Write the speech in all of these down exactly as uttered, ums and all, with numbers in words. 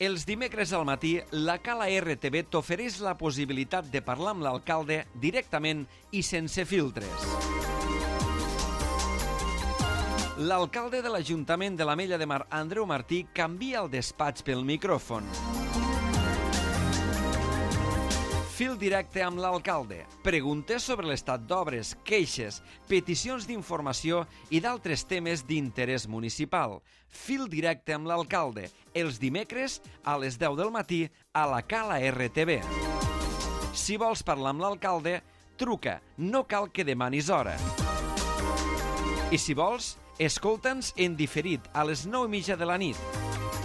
Els dimecres al matí, la Cala R T V t'ofereix la possibilitat de parlar amb l'alcalde directament i sense filtres. L'alcalde de l'Ajuntament de l'Ametlla de Mar, Andreu Martí, canvia el despatx pel micròfon. Fil directe amb l'alcalde. Preguntes sobre l'estat d'obres, queixes, peticions d'informació i d'altres temes d'interès municipal. Fil directe amb l'alcalde. Els dimecres a les deu del matí a la Cala R T V. Si vols parlar amb l'alcalde, truca. No cal que demanis hora. I si vols, escolta'ns en diferit a les nou i mitja de la nit.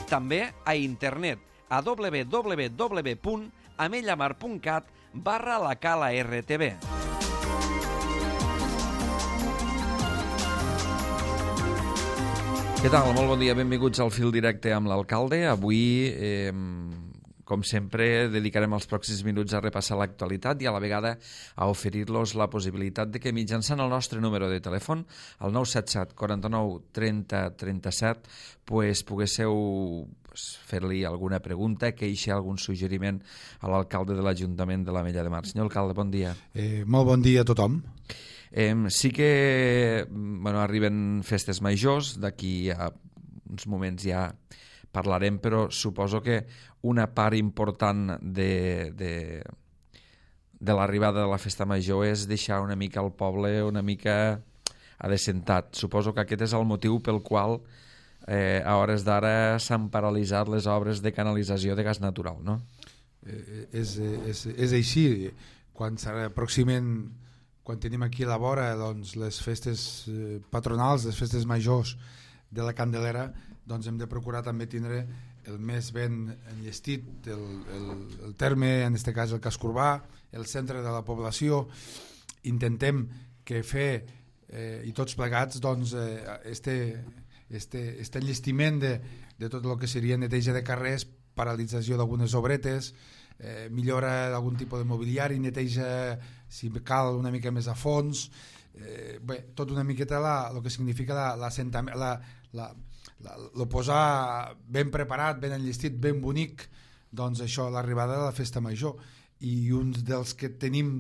També a internet a w w w punt amellamar punt cat barra la Cala R T V. Què tal? Molt bon dia, benvinguts al Fil Directe amb l'alcalde. Avui, eh, com sempre, dedicarem els pròxims minuts a repassar l'actualitat i a la vegada a oferir-los la possibilitat de que mitjançant el nostre número de telèfon, el nou set set quaranta-nou trenta trenta-set, pues, poguésseu pues, fer-li alguna pregunta, queixa, algun suggeriment a l'alcalde de l'Ajuntament de l'Ametlla de Mar. Senyor alcalde, bon dia. Eh, molt bon dia a tothom. Eh, sí que bueno, arriben festes majors, d'aquí a uns moments ja parlarem, però suposo que una part important de, de, de l'arribada de la festa major és deixar una mica el poble una mica adecentat. Suposo que aquest és el motiu pel qual eh, a hores d'ara s'han paralitzat les obres de canalització de gas natural, no? Eh, és, és, és així. Quan s'aproximen, quan tenim aquí a la vora doncs, les festes eh, patronals, les festes majors de la Candelera, doncs hem de procurar també tindre el més ben enllestit el, el, el terme, en aquest cas el casc urbà, el centre de la població. Intentem que fer eh, i tots plegats doncs, eh, este, este, este enllestiment de, de tot el que seria neteja de carrers, paralització d'algunes obretes, eh, millora d'algun tipus de mobiliari, neteja si cal una mica més a fons, eh, bé, tot una miqueta la, el que significa l'assentament, la, la, la, el posar ben preparat, ben enllestit, ben bonic, doncs això, l'arribada de la festa major. I un dels que tenim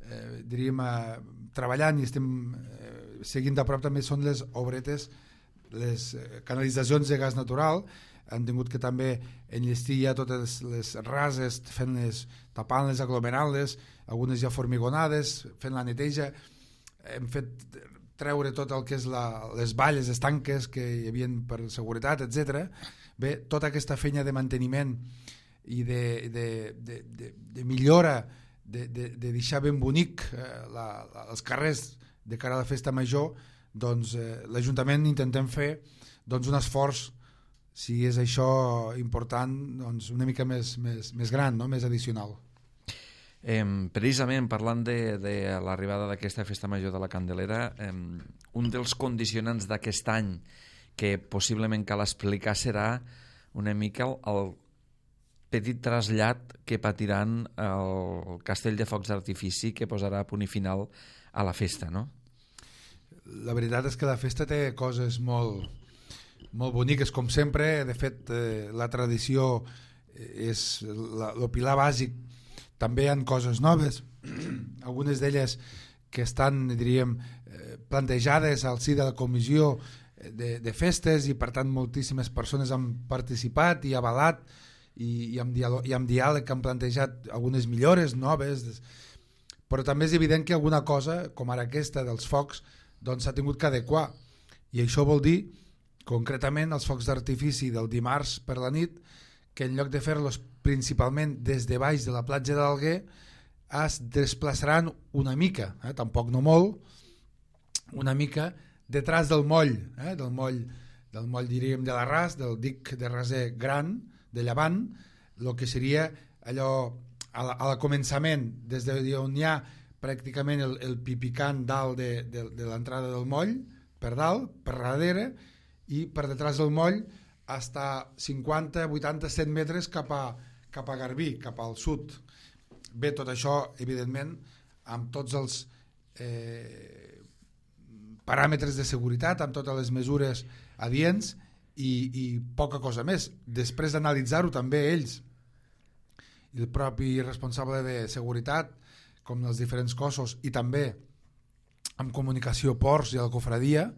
eh, diríem, eh, treballant i estem eh, seguint de prop també són les obretes, les eh, canalitzacions de gas natural. Han tingut que també enllestir ja totes les rases, fent-les, tapant-les, aglomerant-les, algunes ja formigonades, fent la neteja. Hem fet treure tot el que és la, les valles, les tanques que hi havia per seguretat, etcètera. Bé, tota aquesta feina de manteniment i de, de, de, de, de millora, de, de, de deixar ben bonic eh, la, la, els carrers de cara a la festa major, doncs eh, l'Ajuntament intentem fer doncs, un esforç, si és això important, doncs una mica més, més, més gran, no? Més addicional. Eh, precisament parlant de, de l'arribada d'aquesta festa major de la Candelera, eh, un dels condicionants d'aquest any que possiblement cal explicar serà una mica el, el petit trasllat que patiran el castell de focs d'artifici que posarà a punt i final a la festa, no? La veritat és que la festa té coses molt, molt boniques, com sempre. De fet, eh, la tradició és la, el pilar bàsic. També hi ha coses noves, algunes d'elles que estan, diríem, plantejades al si de la comissió de, de festes i per tant moltíssimes persones han participat i avalat i, i, amb diàleg, i amb diàleg han plantejat algunes millores noves, però també és evident que alguna cosa, com ara aquesta dels focs, doncs s'ha tingut que adequar, i això vol dir concretament els focs d'artifici del dimarts per la nit, que en lloc de fer-los principalment des de baix de la platja d'Alguer es desplaçaran una mica, eh, tampoc no molt, una mica detrás del moll, eh, del moll, del moll diríem de la Ras, del dic de Raser gran, de llevant, el que seria allò a la, a la començament, des d'on hi ha pràcticament el, el pipicant dalt de, de, de l'entrada del moll, per dalt, per darrere, i per detrás del moll hasta cinquanta, vuitanta, cent metres cap a, cap a Garbí, cap al sud. Bé, tot això, evidentment, amb tots els eh, paràmetres de seguretat, amb totes les mesures adients, i, i poca cosa més. Després d'analitzar-ho també ells, el propi responsable de seguretat, com els diferents cossos, i també amb comunicació ports i a la cofradia,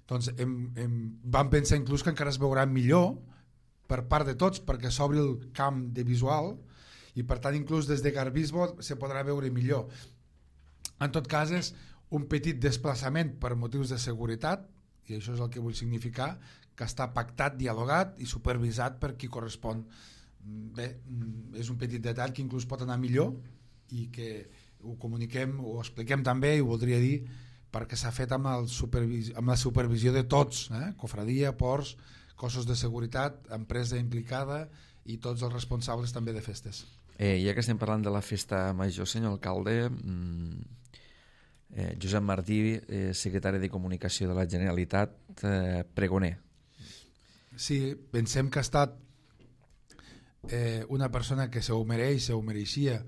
doncs hem, hem, vam pensar inclús que encara es veurà millor per part de tots, perquè s'obri el camp de visual i per tant inclús des de Garbisbo se podrà veure millor. En tot cas és un petit desplaçament per motius de seguretat, i això és el que vull significar, que està pactat, dialogat i supervisat per qui correspon. Bé, és un petit detall que inclús pot anar millor i que ho comuniquem, ho expliquem també, i ho voldria dir perquè s'ha fet amb, el supervis amb la supervisió de tots, eh? Cofradia, ports, cossos de seguretat, empresa implicada i tots els responsables també de festes. Eh, ja que estem parlant de la festa major, senyor alcalde, eh, Josep Martí, eh, secretari de Comunicació de la Generalitat, eh, pregoner. Sí, pensem que ha estat eh, una persona que se ho mereix, se ho mereixia,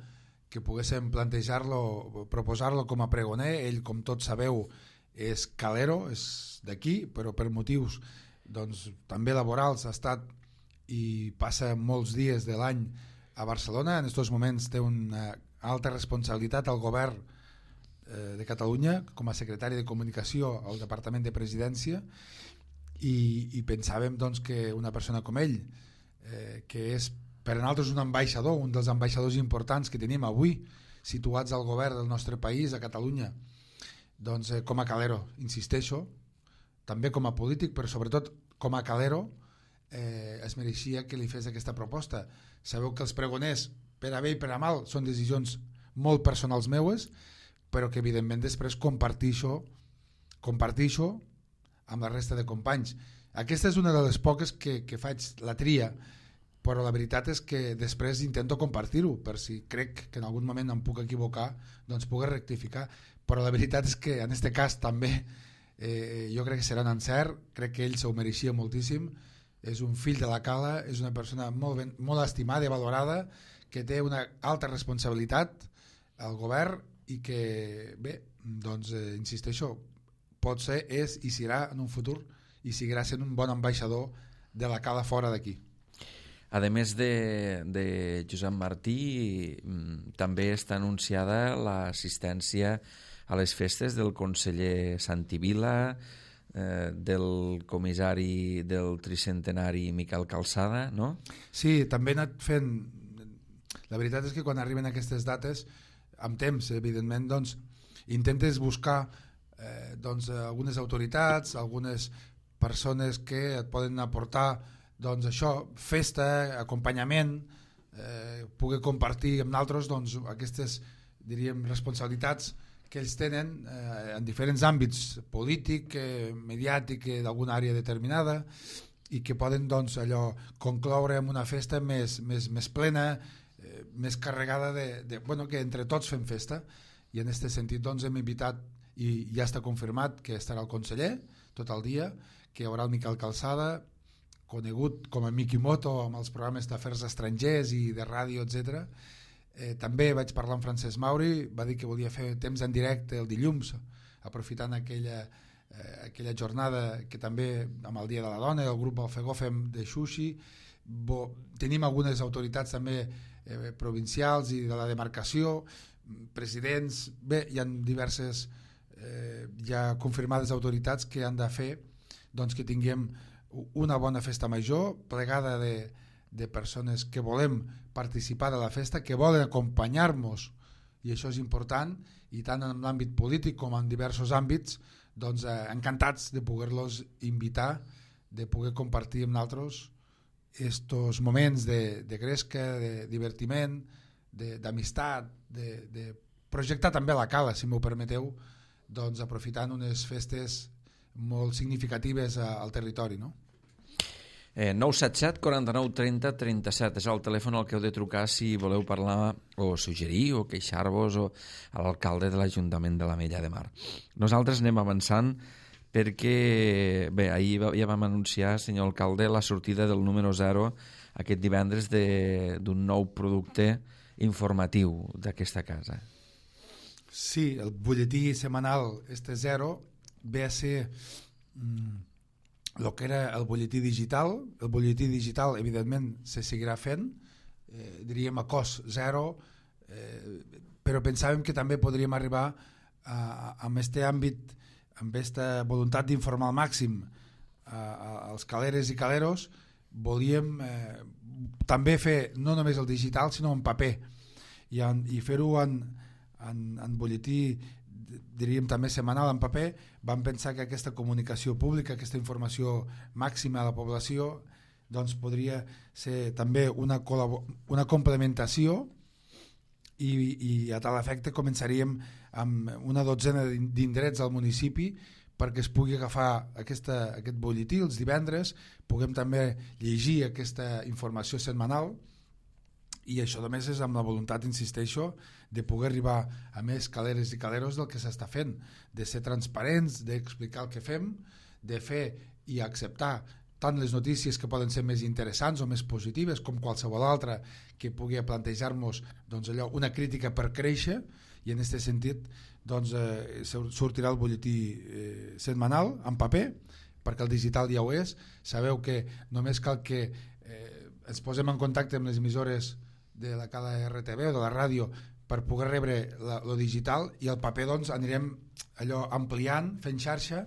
que poguéssim plantejar-lo, proposar-lo com a pregoner. Ell, com tots sabeu, és calero, és d'aquí, però per motius doncs, també laborals ha estat i passa molts dies de l'any a Barcelona. En aquests moments té una alta responsabilitat al govern eh, de Catalunya com a secretari de Comunicació al Departament de Presidència, i, i pensàvem doncs, que una persona com ell, eh, que és per a nosaltres un ambaixador, un dels ambaixadors importants que tenim avui situats al govern del nostre país, a Catalunya, doncs eh, com a calero, insisteixo, també com a polític, però sobretot com a calero, eh, es mereixia que li fes aquesta proposta. Sabeu que els pregoners, per a bé i per a mal, són decisions molt personals meues, però que evidentment després compartixo, compartixo amb la resta de companys. Aquesta és una de les poques que, que faig la tria, però la veritat és que després intento compartir-ho, per si crec que en algun moment em puc equivocar, doncs puc rectificar. Però la veritat és que en aquest cas també eh, jo crec que serà un encert, crec que ell s'ho mereixia moltíssim, és un fill de la cala, és una persona molt, ben, molt estimada i valorada, que té una alta responsabilitat al govern i que, bé, doncs eh, insisteixo, pot ser, és i serà en un futur i seguirà sent un bon ambaixador de la cala fora d'aquí. A més de, de Josep Martí, també està anunciada l'assistència a les festes del conseller Santivila, eh, del comissari del tricentenari Miquel Calçada, no? Sí, també he anat fent... La veritat és que quan arriben aquestes dates, amb temps, evidentment, doncs, intentes buscar eh, doncs, algunes autoritats, algunes persones que et poden aportar doncs això, festa, acompanyament, eh, poder compartir amb nosaltres doncs, aquestes, diríem, responsabilitats que ells tenen eh, en diferents àmbits, polític, eh, mediàtic, eh, d'alguna àrea determinada, i que poden doncs, allò, concloure amb una festa més, més, més plena, eh, més carregada de, de... Bueno, que entre tots fem festa, i en aquest sentit doncs, hem invitat, i ja està confirmat que estarà el conseller tot el dia, que hi haurà el Miquel Calçada, conegut com a Miki Moto amb els programes d'afers estrangers i de ràdio, etcètera. Eh, també vaig parlar amb Francesc Mauri, va dir que volia fer temps en directe el dilluns, aprofitant aquella, eh, aquella jornada que també amb el Dia de la Dona, el grup Alfegó fem de sushi. Bo, tenim algunes autoritats també eh, provincials i de la demarcació, presidents, bé, hi ha diverses eh, ja confirmades autoritats que han de fer doncs, que tinguem una bona festa major, plegada de, de persones que volem participar de la festa, que volen acompanyar-nos, i això és important, i tant en l'àmbit polític com en diversos àmbits, doncs eh, encantats de poder-los invitar, de poder compartir amb nosaltres estos moments de, de gresca, de divertiment, d'amistat, de, de, de projectar també la cala, si m'ho permeteu, doncs aprofitant unes festes molt significatives al territori, no? Eh, nou set set, quaranta-nou, trenta, trenta-set és el telèfon al que heu de trucar si voleu parlar o suggerir o queixar-vos o a l'alcalde de l'Ajuntament de l'Ametlla de Mar. Nosaltres anem avançant perquè, bé, ahir ja vam anunciar, senyor alcalde, la sortida del número zero aquest divendres d'un nou producte informatiu d'aquesta casa. Sí, el butlletí setmanal este zero ve a ser mm, el que era el butlletí digital. El butlletí digital, evidentment, se seguirà fent, eh, diríem a cost zero, eh, però pensàvem que també podríem arribar a, a, amb aquest àmbit, amb aquesta voluntat d'informar al màxim a, a, als caleres i caleros. Volíem eh, també fer no només el digital sinó en paper i, en, i fer-ho en, en, en butlletí, diríem també setmanal en paper. Vam pensar que aquesta comunicació pública, aquesta informació màxima a la població, doncs podria ser també una, una complementació i, i a tal efecte començaríem amb una dotzena d'indrets al municipi perquè es pugui agafar aquesta, aquest butlletí els divendres, puguem també llegir aquesta informació setmanal, i això només és amb la voluntat, insisteixo, de poder arribar a més caleres i caleros del que s'està fent, de ser transparents, d'explicar el que fem, de fer i acceptar tant les notícies que poden ser més interessants o més positives com qualsevol altra que pugui plantejar-nos doncs, allò, una crítica per créixer, i en aquest sentit doncs, eh, sortirà el butlletí eh, setmanal en paper, perquè el digital ja ho és. Sabeu que només cal que eh, ens posem en contacte amb les emissores de la cada R T V o de la ràdio per poder rebre la, lo digital, i el paper doncs, anirem allò ampliant, fent xarxa,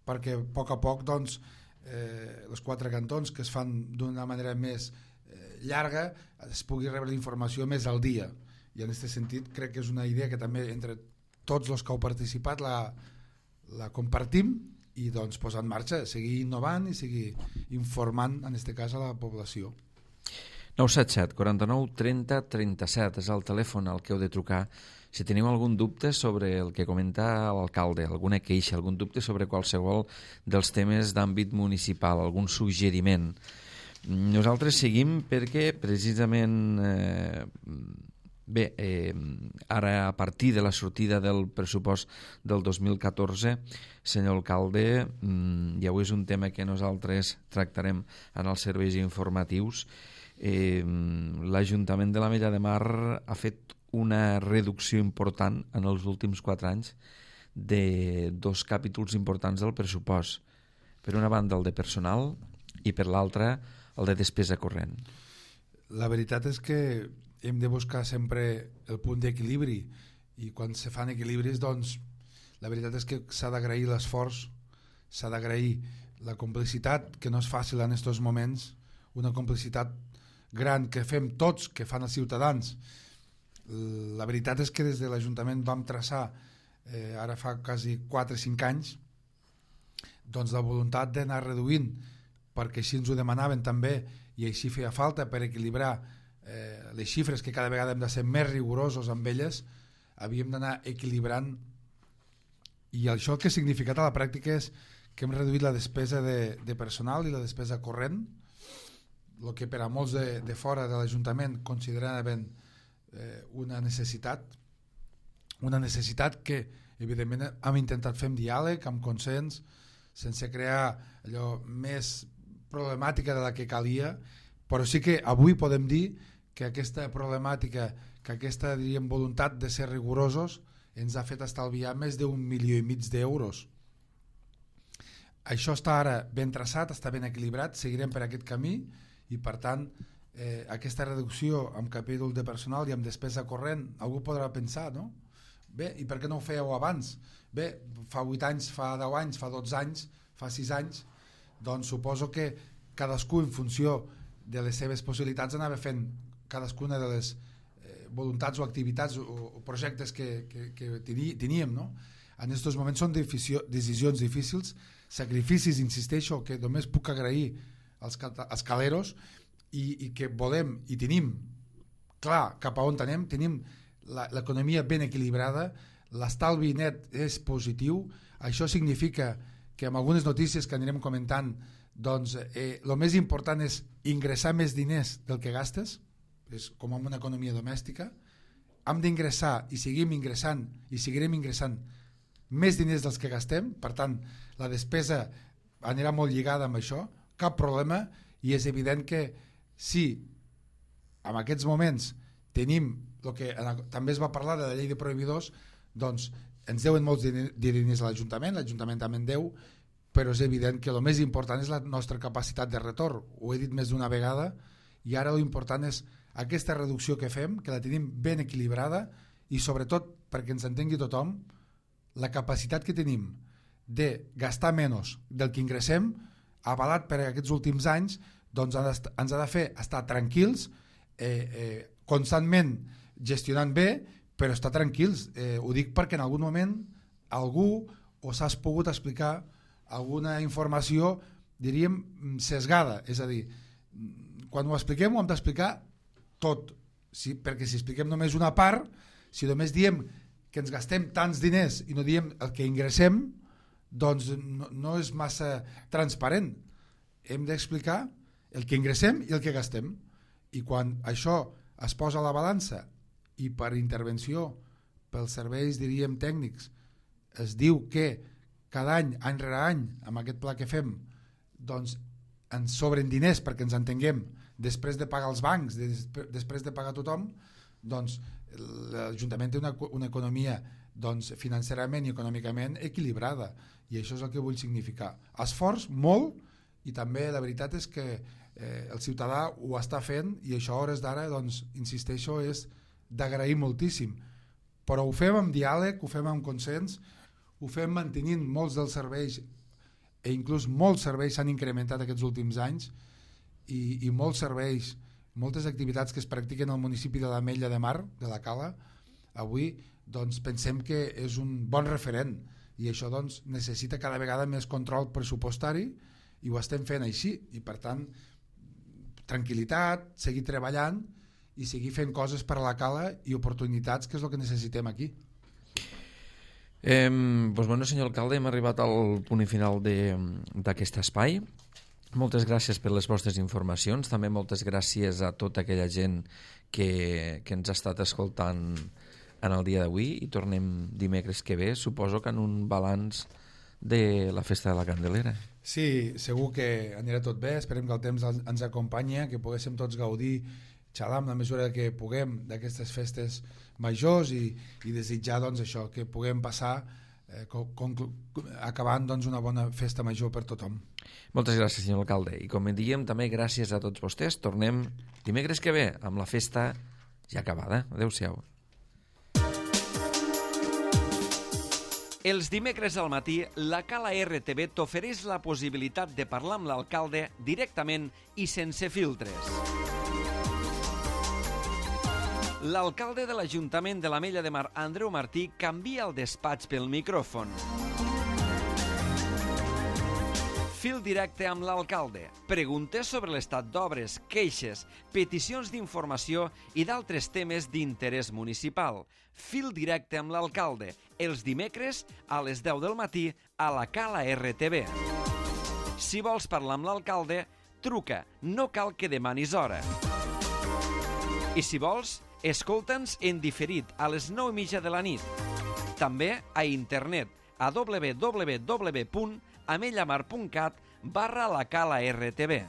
perquè a poc a poc doncs, eh, els quatre cantons que es fan d'una manera més eh, llarga es pugui rebre la informació més al dia. I en aquest sentit crec que és una idea que també entre tots els que heu participat la, la compartim, i doncs posar en marxa, seguir innovant i seguir informant, en aquest cas, a la població. nou set set, quaranta-nou, trenta, trenta-set és el telèfon al que heu de trucar si teniu algun dubte sobre el que comenta l'alcalde, alguna queixa, algun dubte sobre qualsevol dels temes d'àmbit municipal, algun suggeriment. Nosaltres seguim perquè precisament eh, bé, eh, ara a partir de la sortida del pressupost del dos mil catorze, senyor alcalde, mm, ja és un tema que nosaltres tractarem en els serveis informatius. Eh, l'Ajuntament de l'Ametlla de Mar ha fet una reducció important en els últims quatre anys de dos capítols importants del pressupost. Per una banda el de personal i per l'altra el de despesa corrent. La veritat és que hem de buscar sempre el punt d'equilibri, i quan se fan equilibris doncs la veritat és que s'ha d'agrair l'esforç, s'ha d'agrair la complicitat, que no és fàcil en aquests moments, una complicitat gran que fem tots, que fan els ciutadans. La veritat és que des de l'Ajuntament vam traçar eh, ara fa quasi quatre o cinc anys doncs la voluntat d'anar reduint, perquè així ens ho demanaven també i així feia falta per equilibrar eh, les xifres, que cada vegada hem de ser més rigorosos amb elles, havíem d'anar equilibrant. I això el que ha significat a la pràctica és que hem reduït la despesa de, de personal i la despesa corrent, el que per a molts de, de fora de l'Ajuntament consideraven eh, una necessitat, una necessitat que evidentment hem intentat fer amb diàleg, amb consens, sense crear allò més problemàtica de la que calia, però sí que avui podem dir que aquesta problemàtica, que aquesta diríem, voluntat de ser rigorosos ens ha fet estalviar més d'un milió i mig d'euros. Això està ara ben traçat, està ben equilibrat, seguirem per aquest camí, i per tant eh, aquesta reducció amb capítol de personal i amb despesa corrent, algú podrà pensar, no? Bé, i per què no ho fèieu abans? Bé, fa vuit anys, fa deu anys, fa dotze anys, fa sis anys, doncs suposo que cadascú en funció de les seves possibilitats anava fent cadascuna de les eh, voluntats o activitats o, o projectes que, que, que teníem, no? En aquests moments són decisions difícils, sacrificis, insisteixo, que només puc agrair als, als caleros, i, i que volem i tenim clar cap a on anem, tenim l'economia ben equilibrada, l'estalvi net és positiu. Això significa que amb algunes notícies que anirem comentant, doncs eh, el més important és ingressar més diners del que gastes, és com en una economia domèstica. Hem d'ingressar i seguim ingressant i seguirem ingressant més diners dels que gastem, per tant la despesa anirà molt lligada amb això, cap problema. I és evident que si en aquests moments tenim el que també es va parlar de la llei de proveïdors, doncs ens deuen molts diners a l'Ajuntament, l'Ajuntament també en deu, però és evident que el més important és la nostra capacitat de retorn. Ho he dit més d'una vegada, i ara l'important és aquesta reducció que fem, que la tenim ben equilibrada, i sobretot, perquè ens entengui tothom, la capacitat que tenim de gastar menys del que ingressem, avalat per aquests últims anys, doncs ens ha de fer estar tranquils, eh, eh, constantment gestionant bé, però estar tranquils. Eh, ho dic perquè en algun moment algú us has pogut explicar alguna informació, diríem, sesgada. És a dir, quan ho expliquem ho hem d'explicar tot, sí, perquè si expliquem només una part, si només diem que ens gastem tants diners i no diem el que ingressem, doncs no, no és massa transparent. Hem d'explicar el que ingressem i el que gastem, i quan això es posa a la balança i per intervenció pels serveis, diríem, tècnics, es diu que cada any, any rere any, amb aquest pla que fem, doncs ens sobren diners perquè ens entenguem, després de pagar els bancs, des, després de pagar tothom, doncs l'Ajuntament té una, una economia doncs, financerament i econòmicament equilibrada, i això és el que vull significar. Esforç, molt, i també la veritat és que eh, el ciutadà ho està fent, i això a hores d'ara, doncs, insisteixo, és d'agrair moltíssim. Però ho fem amb diàleg, ho fem amb consens, ho fem mantenint molts dels serveis, i inclús molts serveis s'han incrementat aquests últims anys, i, i molts serveis, moltes activitats que es practiquen al municipi de l'Ametlla de Mar, de la Cala, avui doncs, pensem que és un bon referent, i això doncs, necessita cada vegada més control pressupostari, i ho estem fent així, i per tant tranquil·litat, seguir treballant i seguir fent coses per a la Cala i oportunitats, que és el que necessitem aquí. Eh, doncs, bueno, senyor alcalde, hem arribat al punt final d'aquest espai. Moltes gràcies per les vostres informacions, també moltes gràcies a tota aquella gent que, que ens ha estat escoltant en el dia d'avui, i tornem dimecres que ve, suposo que en un balanç de la Festa de la Candelera. Sí, segur que anirà tot bé, esperem que el temps ens acompanyi, que poguéssim tots gaudir, xalar amb la mesura que puguem d'aquestes festes majors, i, i desitjar doncs, això, que puguem passar eh, acabant doncs, una bona festa major per tothom. Moltes gràcies, senyor alcalde, i com diem també gràcies a tots vostès. Tornem dimecres que ve amb la festa ja acabada. Adéu-siau. Els dimecres al matí, la Cala R T V t'ofereix la possibilitat de parlar amb l'alcalde directament i sense filtres. L'alcalde de l'Ajuntament de l'Ametlla de Mar, Andreu Martí, canvia el despatx pel micròfon. Fil directe amb l'alcalde. Preguntes sobre l'estat d'obres, queixes, peticions d'informació i d'altres temes d'interès municipal. Fil directe amb l'alcalde. Els dimecres a les deu del matí a la Cala R T V. Si vols parlar amb l'alcalde, truca. No cal que demanis hora. I si vols, escolta'ns en diferit a les nou i mitja de la nit. També a internet a w w w punt amellamar punt cat barra la Cala R T V.